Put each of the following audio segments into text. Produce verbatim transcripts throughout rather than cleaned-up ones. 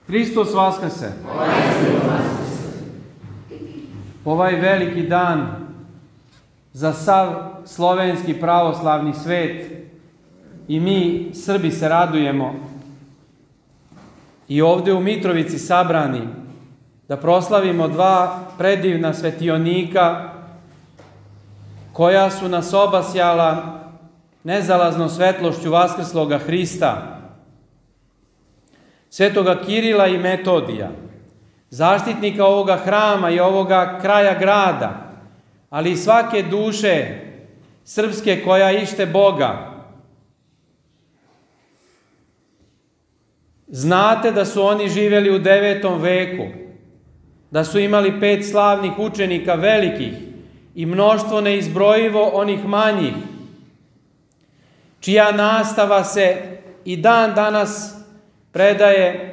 Hristos vaskrse! Ovaj veliki dan za sav slovenski pravoslavni svet i mi, Srbi, se radujemo i ovdje u Mitrovici sabrani da proslavimo dva predivna svetionika koja su nas obasjala nezalaznom svetlošću vaskrsloga Hrista, svetoga Kirila i Metodija, zaštitnika ovoga hrama i ovoga kraja grada, ali i svake duše srpske koja ište Boga. Znate da su oni živjeli u devetom veku, da su imali pet slavnih učenika velikih i mnoštvo neizbrojivo onih manjih, čija nastava se i dan danas predaje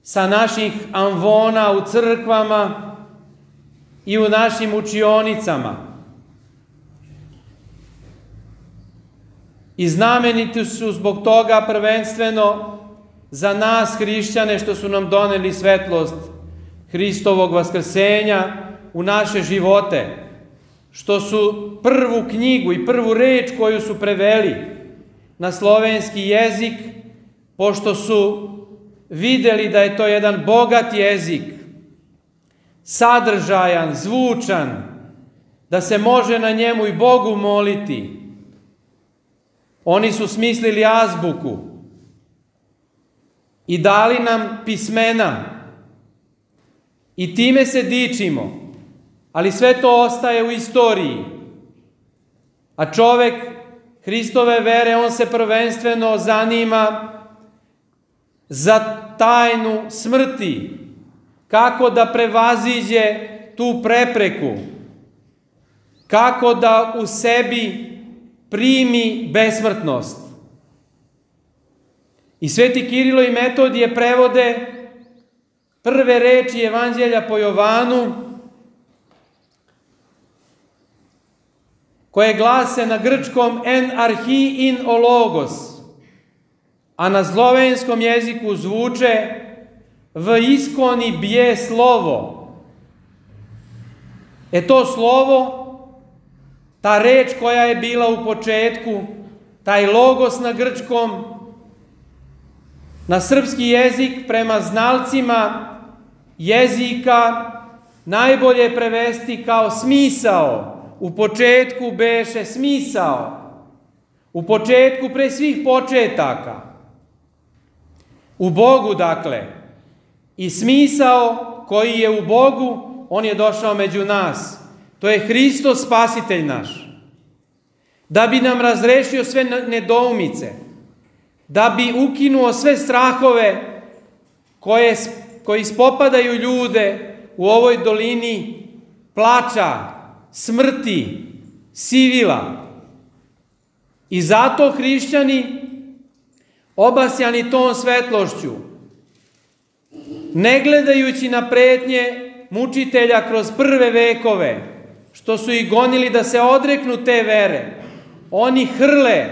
sa naših amvona u crkvama i u našim učionicama. I znameniti su zbog toga prvenstveno za nas hrišćane što su nam doneli svetlost Hristovog vaskrsenja u naše živote, što su prvu knjigu i prvu reč koju su preveli na slovenski jezik, pošto su vidjeli da je to jedan bogat jezik, sadržajan, zvučan, da se može na njemu i Bogu moliti. Oni su smislili azbuku i dali nam pismena i time se dičimo, ali sve to ostaje u istoriji. A čovek Hristove vere, on se prvenstveno zanima za tajnu smrti, kako da prevaziđe tu prepreku, kako da u sebi primi besmrtnost. I sveti Kirilo i Metodije prevode prve reči Evanđelja po Jovanu, koje glase na grčkom en arhi in o logos, a na slovenskom jeziku zvuče v iskoni bje slovo. E to slovo, ta reč koja je bila u početku, taj logos na grčkom, na srpski jezik prema znalcima jezika najbolje prevesti kao smisao. U početku beše smisao. U početku pre svih početaka. U Bogu, dakle. I smisao koji je u Bogu, on je došao među nas. To je Hristos spasitelj naš. Da bi nam razrešio sve nedoumice. Da bi ukinuo sve strahove koje, koji spopadaju ljude u ovoj dolini plača, smrti, sivila. I zato hrišćani, obasjani tom svetlošću, ne gledajući na pretnje mučitelja kroz prve vekove, što su ih gonili da se odreknu te vere, oni hrle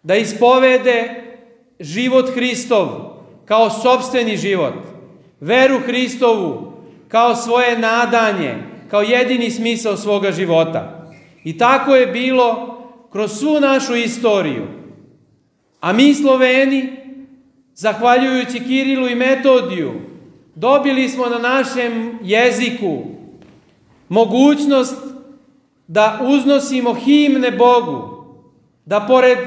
da ispovede život Hristov kao sopstveni život, veru Hristovu kao svoje nadanje, kao jedini smisao svoga života. I tako je bilo kroz svu našu istoriju. A mi Sloveni, zahvaljujući Kirilu i Metodiju, dobili smo na našem jeziku mogućnost da uznosimo himne Bogu, da pored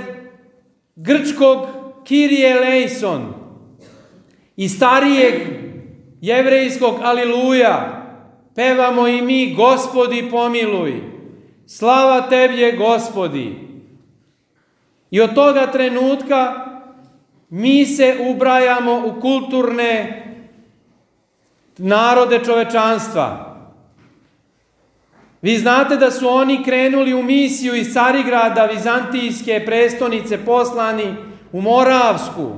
grčkog Kyrie eleison i starijeg jevrejskog Aliluja pevamo i mi Gospodi pomiluj, slava Tebje Gospodi. I od toga trenutka mi se ubrajamo u kulturne narode čovečanstva. Vi znate da su oni krenuli u misiju iz Carigrada, vizantijske prestonice, poslani u Moravsku.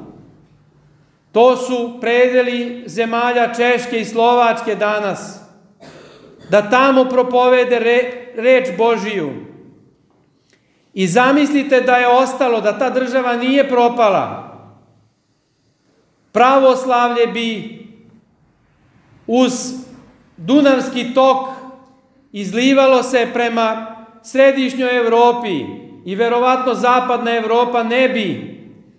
To su predeli zemalja Češke i Slovačke danas. Da tamo propovede re, reč Božiju. I zamislite da je ostalo, da ta država nije propala. Pravoslavlje bi uz Dunavski tok izlivalo se prema središnjoj Evropi i verovatno zapadna Evropa ne bi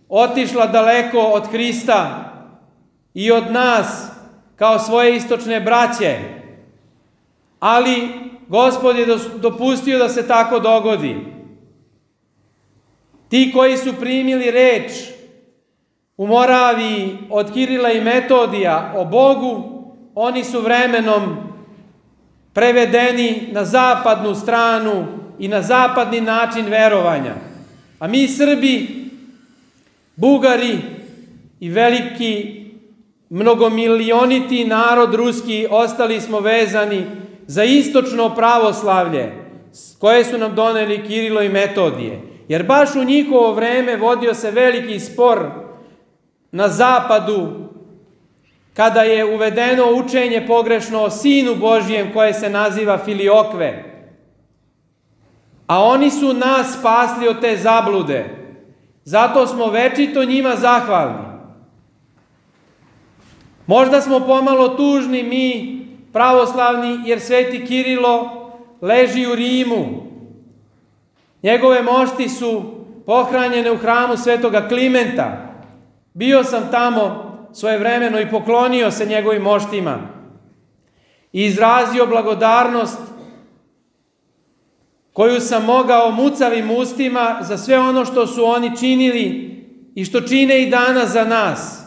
otišla daleko od Hrista i od nas kao svoje istočne braće. Ali Gospod je dopustio da se tako dogodi. Ti koji su primili reč u Moraviji od Kirila i Metodija o Bogu, oni su vremenom prevedeni na zapadnu stranu i na zapadni način verovanja. A mi Srbi, Bugari i veliki mnogomilioniti narod ruski ostali smo vezani za istočno pravoslavlje koje su nam doneli Kirilo i Metodije. Jer baš u njihovo vreme vodio se veliki spor na zapadu kada je uvedeno učenje pogrešno o Sinu Božijem koje se naziva Filiokve. A oni su nas spasli od te zablude. Zato smo večito njima zahvalni. Možda smo pomalo tužni mi, pravoslavni, jer sveti Kirilo leži u Rimu. Njegove mošti su pohranjene u hramu svetoga Klimenta. Bio sam tamo svojevremeno i poklonio se njegovim moštima i izrazio blagodarnost koju sam mogao mucavim ustima za sve ono što su oni činili i što čine i danas za nas.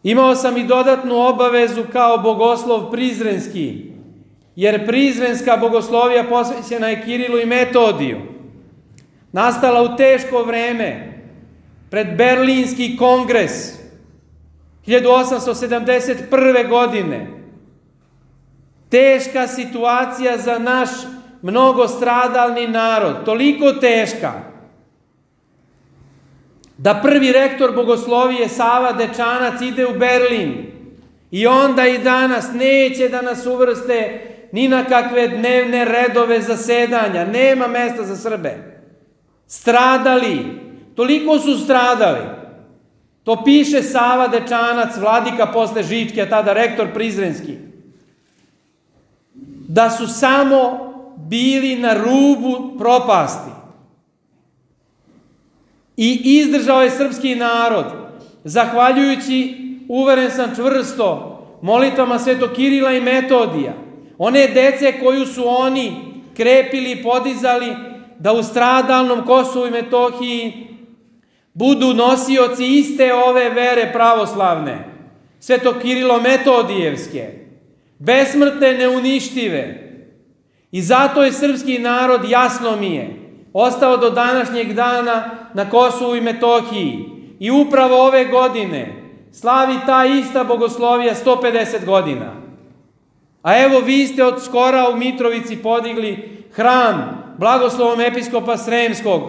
Imao sam i dodatnu obavezu kao bogoslov prizrenski, jer prizrenska bogoslovija posvećena je Kirilu i Metodiju, nastala u teško vreme, pred Berlinski kongres hiljadu osamsto sedamdeset prve. godine. Teška situacija za naš mnogostradalni narod, toliko teška da prvi rektor bogoslovije Sava Dečanac ide u Berlin i onda i danas neće da nas uvrste ni na kakve dnevne redove zasedanja, nema mesta za Srbe. Stradali, toliko su stradali. To piše Sava Dečanac, vladika posle Žičke, a tada rektor prizrenski. Da su samo bili na rubu propasti. I izdržao je srpski narod, zahvaljujući, uveren sam čvrsto, molitvama svetog Kirila i Metodija, one dece koju su oni krepili i podizali da u stradalnom Kosovu i Metohiji budu nosioci iste ove vere pravoslavne, svetog Kirilo Metodijevske, besmrtne, neuništive. I zato je srpski narod, jasno mi je, ostao do današnjeg dana na Kosovu i Metohiji i upravo ove godine slavi ta ista bogoslovija sto pedeset godina. A evo vi ste od skora u Mitrovici podigli hram blagoslovom episkopa Sremskog,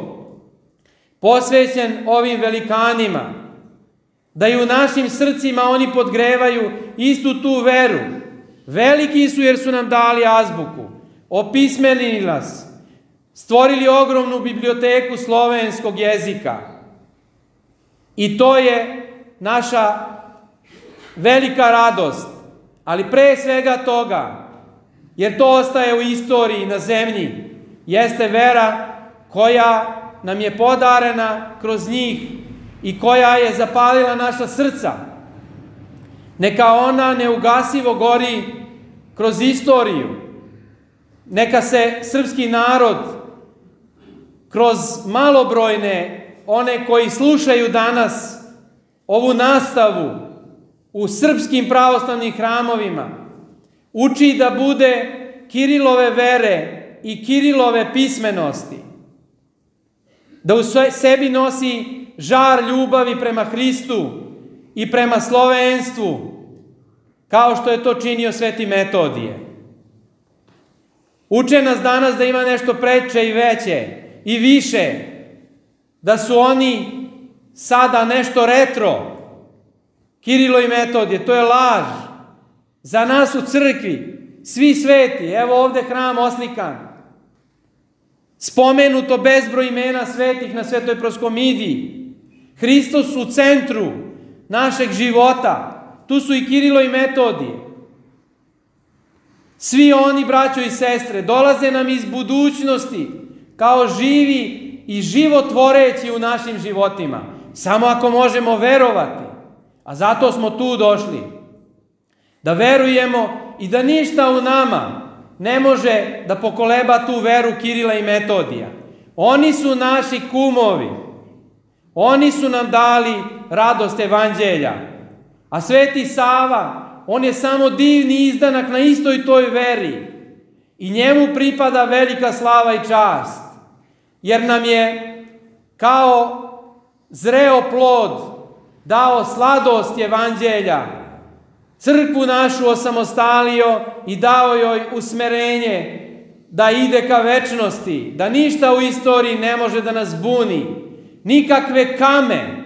posvećen ovim velikanima, da i u našim srcima oni podgrevaju istu tu veru. Veliki su jer su nam dali azbuku, opismenili nas, stvorili ogromnu biblioteku slovenskog jezika. I to je naša velika radost. Ali pre svega toga, jer to ostaje u istoriji na zemlji, jeste vera koja nam je podarena kroz njih i koja je zapalila naša srca. Neka ona neugasivo gori kroz istoriju. Neka se srpski narod kroz malobrojne, one koji slušaju danas ovu nastavu u srpskim pravoslavnim hramovima, uči da bude Kirilove vere i Kirilove pismenosti. Da u sebi nosi žar ljubavi prema Hristu i prema slovenstvu, kao što je to činio sveti Metodije. Uče nas danas da ima nešto preče i veće i više, da su oni sada nešto retro. Kirilo i Metodije, to je laž. Za nas u crkvi, svi sveti, evo ovde hram oslikan, spomenuto bezbroj imena svetih na Svetoj proskomidiji, Hristos u centru, našeg života. Tu su i Kirilo i Metodije. Svi oni, braćo i sestre, dolaze nam iz budućnosti kao živi i životvoreći u našim životima. Samo ako možemo verovati. A zato smo tu došli. Da verujemo i da ništa u nama ne može da pokoleba tu veru Kirila i Metodija. Oni su naši kumovi. Oni su nam dali radost evanđelja. A Sveti Sava, on je samo divni izdanak na istoj toj veri. I njemu pripada velika slava i čast. Jer nam je kao zreo plod dao sladost evanđelja. Crkvu našu osamostalio i dao joj usmerenje da ide ka večnosti, da ništa u istoriji ne može da nas buni, nikakve kame,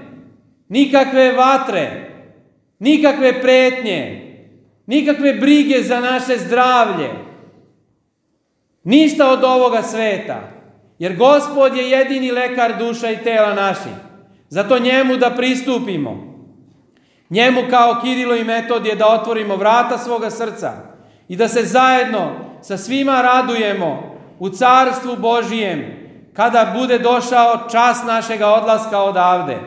nikakve vatre, nikakve pretnje, nikakve brige za naše zdravlje, ništa od ovoga sveta, jer Gospod je jedini lekar duša i tela naših. Zato njemu da pristupimo, njemu kao Kirilo i Metodije da otvorimo vrata svoga srca i da se zajedno sa svima radujemo u Carstvu Božijem kada bude došao čas našega odlaska odavde.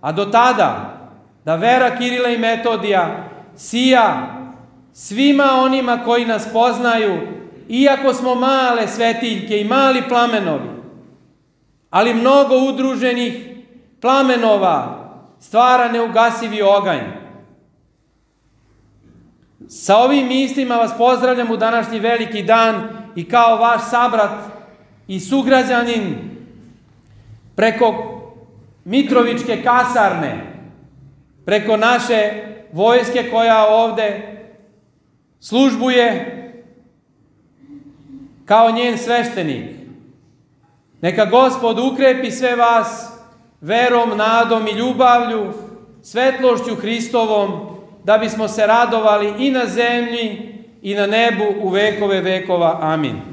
A do tada da vera Kirila i Metodija sija svima onima koji nas poznaju, iako smo male svetiljke i mali plamenovi, ali mnogo udruženih plamenova stvara neugasivi oganj. Sa ovim mislima vas pozdravljam u današnji veliki dan i kao vaš sabrat i sugrađanin preko Mitrovičke kasarne, preko naše vojske koja ovde službuje kao njen sveštenik. Neka Gospod ukrepi sve vas verom, nadom i ljubavlju, svetlošću Hristovom, da bismo se radovali i na zemlji i na nebu u vekove vekova. Amin.